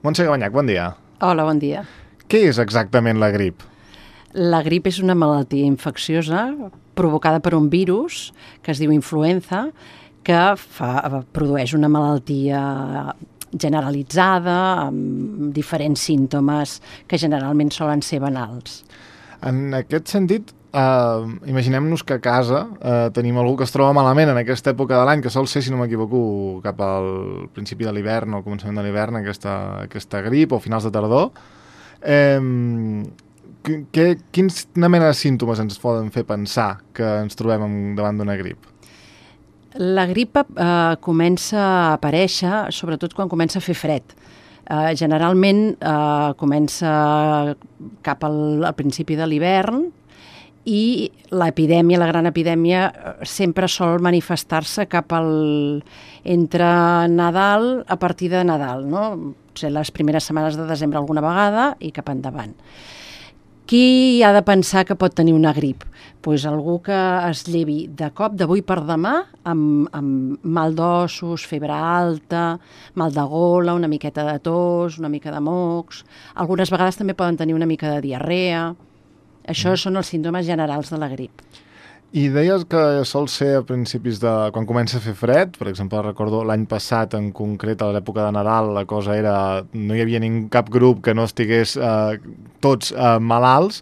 Montse Gabanyac, bon dia. Hola, bon dia. Què és exactament la grip? La grip és una malaltia infecciosa provocada per un virus que es diu influenza, que produeix una malaltia generalitzada amb diferents símptomes que generalment solen ser banals. En aquest sentit, imaginem-nos que a casa tenim algú que es troba malament en aquesta època de l'any, que sol ser, si no m'equivoco, cap al principi de l'hivern o al començament de l'hivern, aquesta grip, o finals de tardor. Quina mena de símptomes ens poden fer pensar que ens trobem davant d'una grip? La grip comença a aparèixer sobretot quan comença a fer fred. Generalment comença cap al principi de l'hivern i l'epidèmia, la gran epidèmia, sempre sol manifestar-se entre Nadal, a partir de Nadal, no? Potser les primeres setmanes de desembre alguna vegada i cap endavant. Qui ha de pensar que pot tenir una grip? Pues algú que es llevi de cop, d'avui per demà, amb mal d'ossos, febre alta, mal de gola, una miqueta de tos, una mica de mocs. Algunes vegades també poden tenir una mica de diarrea. Això són els símptomes generals de la grip. I deies que sol ser a principis de... quan comença a fer fred, per exemple, recordo l'any passat en concret, a l'època de Nadal, la cosa era... no hi havia cap grup que no estigués tots malalts.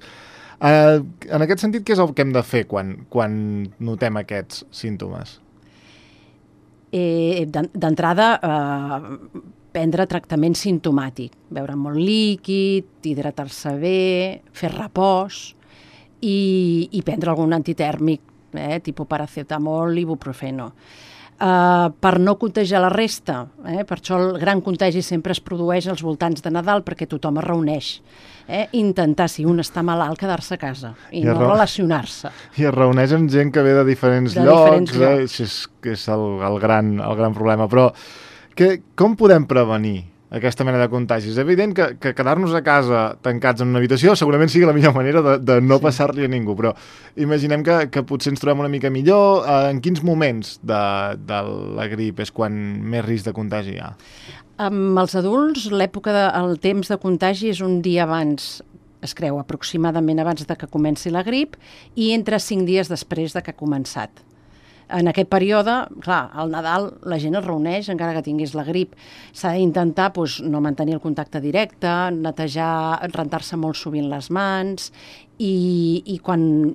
En aquest sentit, què és el que hem de fer quan notem aquests símptomes? D'entrada, prendre tractament simptomàtic, beure molt líquid, hidratar-se bé, fer repòs, i prendre algun antitèrmic, tipus paracetamol, ibuprofeno. Per no contagiar la resta, per això el gran contagi sempre es produeix als voltants de Nadal, perquè tothom es reuneix. Intentar, si un està malalt, quedar-se a casa i no relacionar-se. I es reuneix amb gent que ve de diferents llocs. És el gran problema. Però com podem prevenir aquesta mena de contagis? És evident que quedar-nos a casa tancats en una habitació segurament sigui la millor manera de no passar-li a ningú, però imaginem que potser ens trobem una mica millor. En quins moments de la grip és quan més risc de contagi hi ha? Amb els adults, el temps de contagi és un dia abans, es creu aproximadament abans de que comenci la grip, i entre 5 dies després de que ha començat. En aquest període, clar, al Nadal la gent es reuneix, encara que tinguis la grip. S'ha d'intentar no mantenir el contacte directe, netejar, rentar-se molt sovint les mans i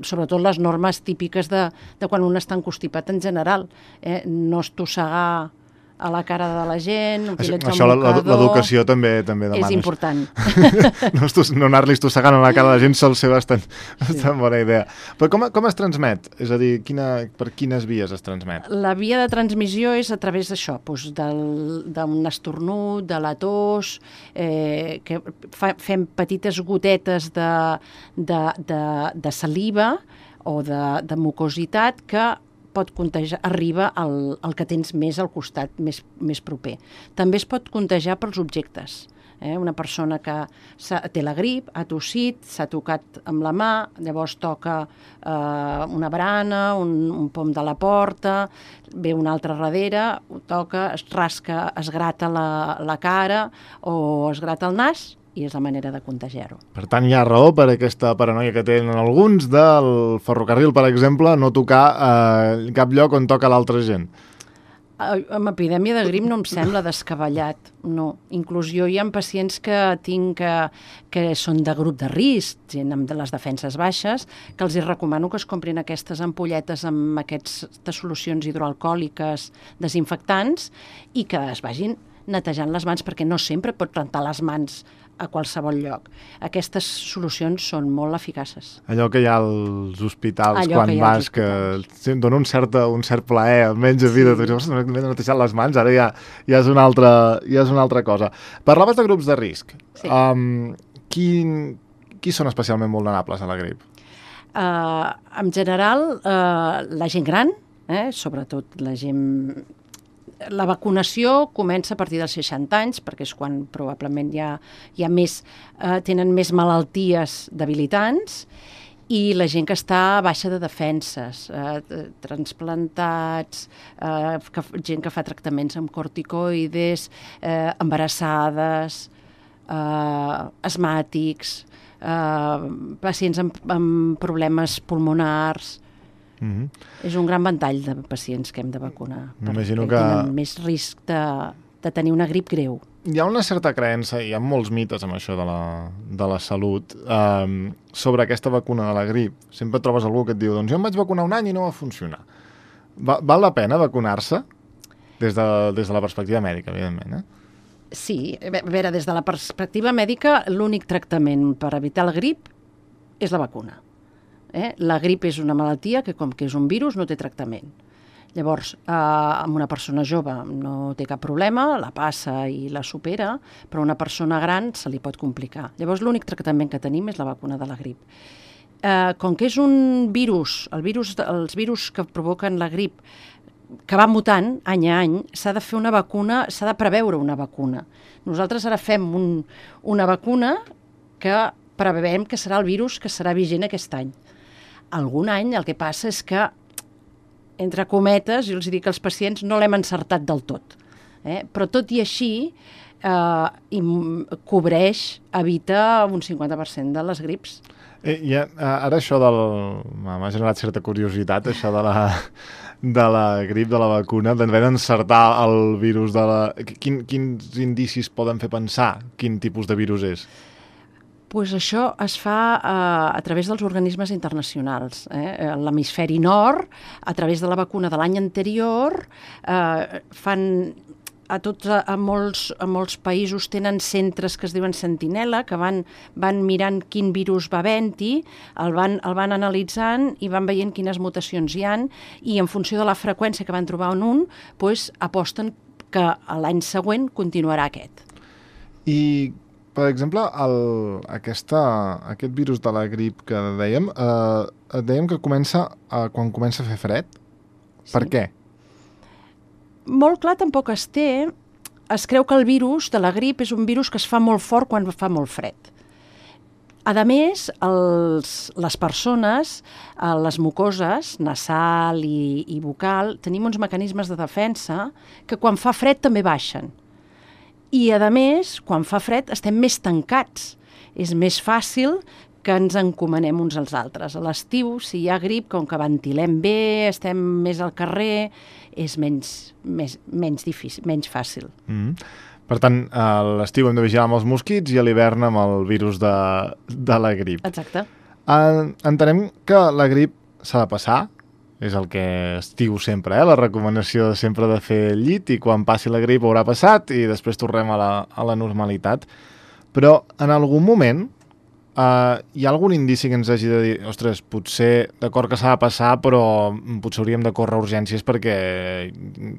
sobretot les normes típiques de quan un està encostipat en general. No estossegar a la cara de la gent, utilitzar un mocador... L'educació també demana. És important. No anar-li estossegant a la cara de la gent sol ser bastant bona idea. Però com es transmet? És a dir, per quines vies es transmet? La via de transmissió és a través d'això, d'un estornut, de la tos, que fem petites gotetes de saliva o de mucositat que pot contagiar, arriba al que tens més al costat, més proper. També es pot contagiar pels objectes. Una persona que té la grip, ha tossit, s'ha tocat amb la mà, llavors toca una barana, un pom de la porta, ve un altre darrere, ho toca, es rasca, es grata la cara o es grata el nas, i és la manera de contagiar-ho. Per tant, hi ha raó per aquesta paranoia que tenen alguns del ferrocarril, per exemple, no tocar cap lloc on toca l'altra gent. Amb epidèmia de grip no em sembla descabellat, no. Inclús jo hi ha pacients que tinc que són de grup de risc, gent amb les defenses baixes, que els recomano que es comprin aquestes ampolletes amb aquestes solucions hidroalcohòliques desinfectants i que es vagin netejant les mans, perquè no sempre pots rentar les mans a qualsevol lloc. Aquestes solucions són molt eficaces. Allò que hi ha als hospitals quan vas, que dona un cert plaer, almenys a vida. M'he netejat les mans, ara ja és una altra cosa. Parlaves de grups de risc. Sí. Qui són especialment vulnerables a la grip? En general, la gent gran, sobretot la gent... La vacunació comença a partir dels 60 anys, perquè és quan probablement hi ha tenen més malalties debilitants, i la gent que està baixa de defenses, transplantats, gent que fa tractaments amb corticoides, embarassades, asmàtics, pacients amb problemes pulmonars. És un gran ventall de pacients que hem de vacunar, perquè tenen més risc de tenir una grip greu. Hi ha una certa creença, hi ha molts mites amb això de la salut, sobre aquesta vacuna de la grip. Sempre trobes algú que et diu, doncs jo em vaig vacunar un any i no va funcionar. Val la pena vacunar-se? Des de la perspectiva mèdica, evidentment, Sí, a veure, des de la perspectiva mèdica, l'únic tractament per evitar la grip és la vacuna. La grip és una malaltia que, com que és un virus, no té tractament. Llavors, amb una persona jove no té cap problema, la passa i la supera, però a una persona gran se li pot complicar. Llavors, l'únic tractament que tenim és la vacuna de la grip. Com que és un virus, els virus que provoquen la grip, que va mutant any a any, s'ha de fer una vacuna, s'ha de preveure una vacuna. Nosaltres ara fem una vacuna que preveiem que serà el virus que serà vigent aquest any. Algun any el que passa és que, entre cometes, jo els dic que els pacients no l'hem encertat del tot. Però tot i així, cobreix, evita un 50% de les grips. Ara això m'ha generat certa curiositat, això de la grip, de la vacuna, d'haver d'encertar el virus de la... Quins indicis poden fer pensar quin tipus de virus és? Pues això es fa a través dels organismes internacionals. L'hemisferi nord, a través de la vacuna de l'any anterior, a molts països tenen centres que es diuen Sentinella, que van mirant quin virus va havent-hi, el van analitzant i van veient quines mutacions hi han, i en funció de la freqüència que van trobar en un, aposten que l'any següent continuarà aquest. I, per exemple, aquest virus de la grip que dèiem que comença quan comença a fer fred. Per què? Molt clar tampoc es té. Es creu que el virus de la grip és un virus que es fa molt fort quan fa molt fred. A més, les persones, les mucoses, nasal i bucal, tenim uns mecanismes de defensa que quan fa fred també baixen. I, a més, quan fa fred estem més tancats. És més fàcil que ens encomanem uns als altres. A l'estiu, si hi ha grip, com que ventilem bé, estem més al carrer, és menys difícil, menys fàcil. Per tant, a l'estiu hem de vigilar amb els mosquits i a l'hivern amb el virus de la grip. Exacte. Entenem que la grip s'ha de passar, és el que es diu sempre, la recomanació sempre de fer el llit, i quan passi la grip haurà passat i després tornem a la normalitat. Però en algun moment hi ha algun indici que ens hagi de dir, ostres, potser d'acord que s'ha de passar, però potser hauríem de córrer urgències perquè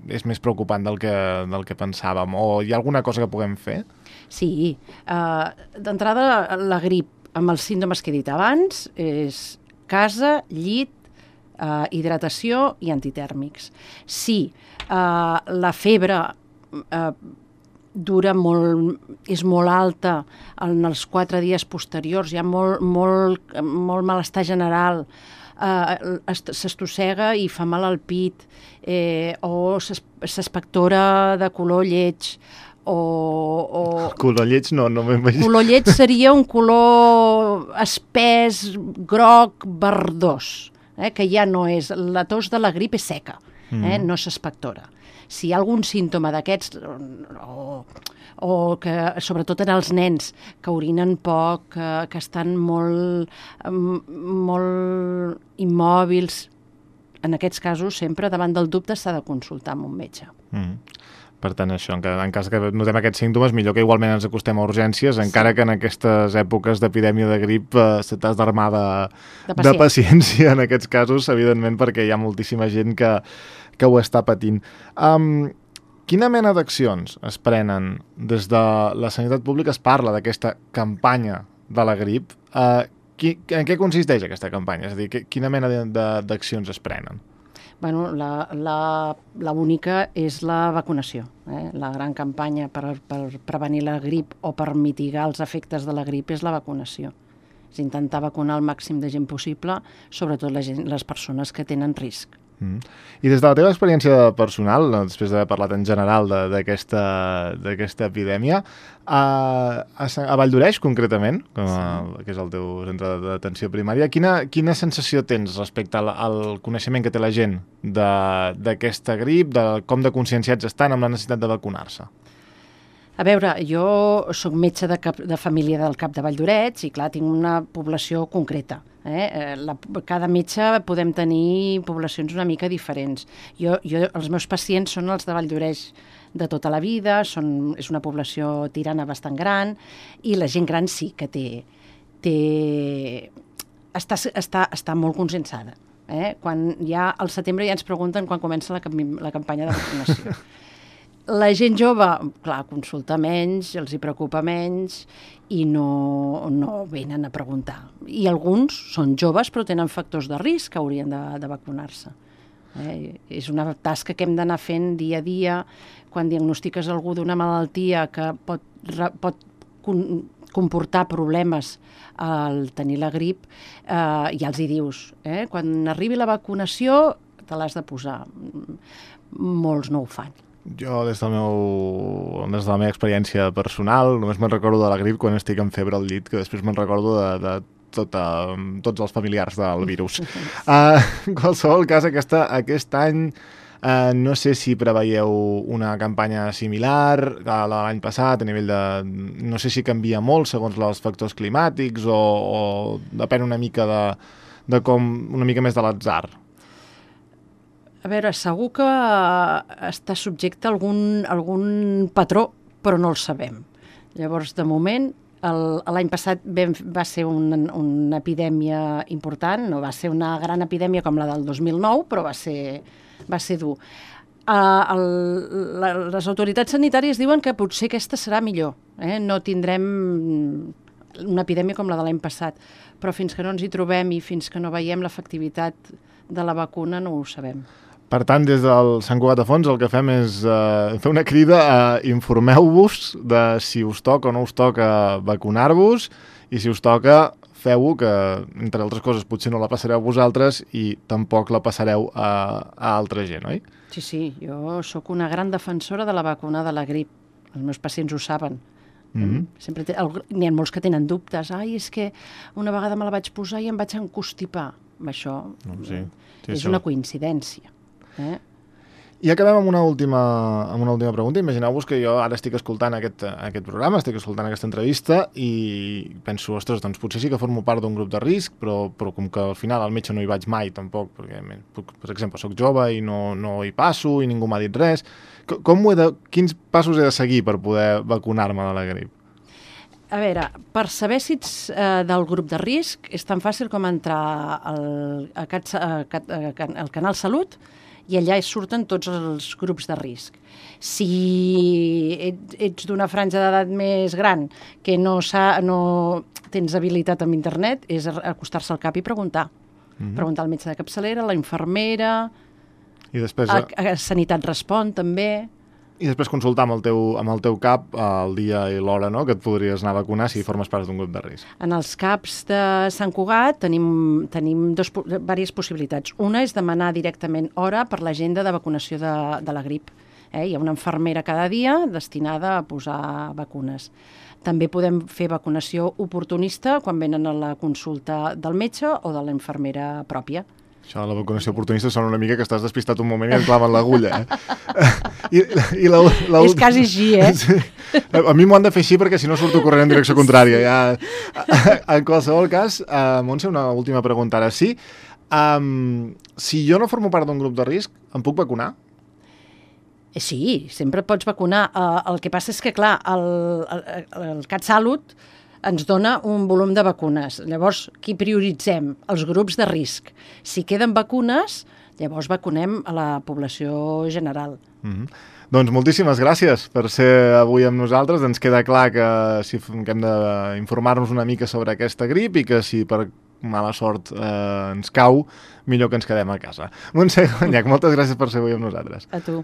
és més preocupant del que pensàvem, o hi ha alguna cosa que puguem fer? Sí. D'entrada, la grip, amb els símptomes que he dit abans, és casa, llit, hidratació i antitèrmics. Si la febre és molt alta en els 4 dies posteriors, hi ha molt malestar general, s'estossega i fa mal al pit, o s'espectora de color lleig, Color lleig no m'ho imagino. Color lleig seria un color espès, groc, verdós, que ja no és... La tos de la grip és seca, no s'espectora. Si hi ha algun símptoma d'aquests, o que, sobretot en els nens, que orinen poc, que estan molt immòbils, en aquests casos sempre davant del dubte s'ha de consultar amb un metge. Per tant, això, en cas que notem aquests símptomes, millor que igualment ens acostem a urgències, encara que en aquestes èpoques d'epidèmia de grip t'has d'armar de paciència en aquests casos, evidentment, perquè hi ha moltíssima gent que ho està patint. Quina mena d'accions es prenen des de la sanitat pública? Es parla d'aquesta campanya de la grip. En què consisteix aquesta campanya? És a dir, quina mena d'accions es prenen? Bueno, la única és la vacunació. La gran campanya per prevenir la grip o per mitigar els efectes de la grip és la vacunació. És intentar vacunar el màxim de gent possible, sobretot les persones que tenen risc. I des de la teva experiència personal, després d'haver parlat en general d'aquesta epidèmia, a Valldoreix concretament, que és el teu centre d'atenció primària, quina sensació tens respecte al coneixement que té la gent d'aquesta grip, de com de conscienciats estan amb la necessitat de vacunar-se? A veure, jo soc metge de família del Cap de Valldoreix i, clar, tinc una població concreta. Cada metge podem tenir poblacions una mica diferents. Els meus pacients són els de Valldoreix de tota la vida, és una població tirana bastant gran, i la gent gran sí que està molt conscienciada. Quan al setembre ja ens pregunten quan comença la campanya de vacunació. La gent jove, clar, consulta menys, els hi preocupa menys i no venen a preguntar. I alguns són joves però tenen factors de risc que haurien de vacunar-se. És una tasca que hem d'anar fent dia a dia. Quan diagnostiques algú d'una malaltia que pot comportar problemes al tenir la grip, ja els hi dius. Quan arribi la vacunació te l'has de posar. Molts no ho fan. Jo, des de la meva experiència personal, només me'n recordo de la grip quan estic en febre al llit, que després me'n recordo de tots els familiars del virus. En qualsevol cas, aquest any no sé si preveieu una campanya similar a l'any passat, a nivell de... No sé si canvia molt segons els factors climàtics o depèn una mica una mica més de l'atzar. A veure, segur que està subjecte a algun patró, però no el sabem. Llavors, de moment, l'any passat va ser una epidèmia important, no va ser una gran epidèmia com la del 2009, però va ser dur. Les autoritats sanitàries diuen que potser aquesta serà millor. No tindrem una epidèmia com la de l'any passat, però fins que no ens hi trobem i fins que no veiem l'efectivitat de la vacuna no ho sabem. Per tant, des del Sant Cugat de Fons el que fem és fer una crida a informeu-vos de si us toca o no us toca vacunar-vos i si us toca, feu-ho, que entre altres coses potser no la passareu vosaltres i tampoc la passareu a altra gent, oi? Sí, jo sóc una gran defensora de la vacuna de la grip. Els meus pacients ho saben. N'hi ha molts que tenen dubtes. És que una vegada me la vaig posar i em vaig encostipar. Això és una coincidència. I acabem amb una última pregunta. Imagineu-vos que jo ara estic escoltant aquest programa, estic escoltant aquesta entrevista i penso, ostres, doncs potser sí que formo part d'un grup de risc, però com que al final al metge no hi vaig mai tampoc, perquè, per exemple, soc jove i no hi passo i ningú m'ha dit res. Quins passos he de seguir per poder vacunar-me de la grip? A veure, per saber si ets del grup de risc és tan fàcil com entrar al Canal Salut i allà surten tots els grups de risc. Si ets d'una franja d'edat més gran que no tens habilitat amb internet, és acostar-se al CAP i preguntar. Preguntar al metge de capçalera, a la infermera, i després, a Sanitat Respon també. I després consultar amb el teu CAP el dia i l'hora, no?, que et podries anar a vacunar si formes part d'un grup de risc. En els CAPs de Sant Cugat tenim diverses possibilitats. Una és demanar directament hora per l'agenda de vacunació de la grip. Hi ha una infermera cada dia destinada a posar vacunes. També podem fer vacunació oportunista quan venen a la consulta del metge o de la infermera pròpia. Això de la vacunació oportunista sona una mica que estàs despistat un moment i et claven l'agulla, És quasi així, Sí. A mi m'ho han de fer així perquè si no surto corrent en direcció contrària. En qualsevol cas, Montse, una última pregunta ara. Sí, si jo no formo part d'un grup de risc, em puc vacunar? Sí, sempre pots vacunar. El que passa és que, clar, el CatSalut ens dona un volum de vacunes. Llavors, qui prioritzem? Els grups de risc. Si queden vacunes, llavors vacunem a la població general. Doncs moltíssimes gràcies per ser avui amb nosaltres. Ens queda clar que hem d'informar-nos una mica sobre aquesta grip i que si per mala sort ens cau, millor que ens quedem a casa. Montse Guanyac, moltes gràcies per ser avui amb nosaltres. A tu.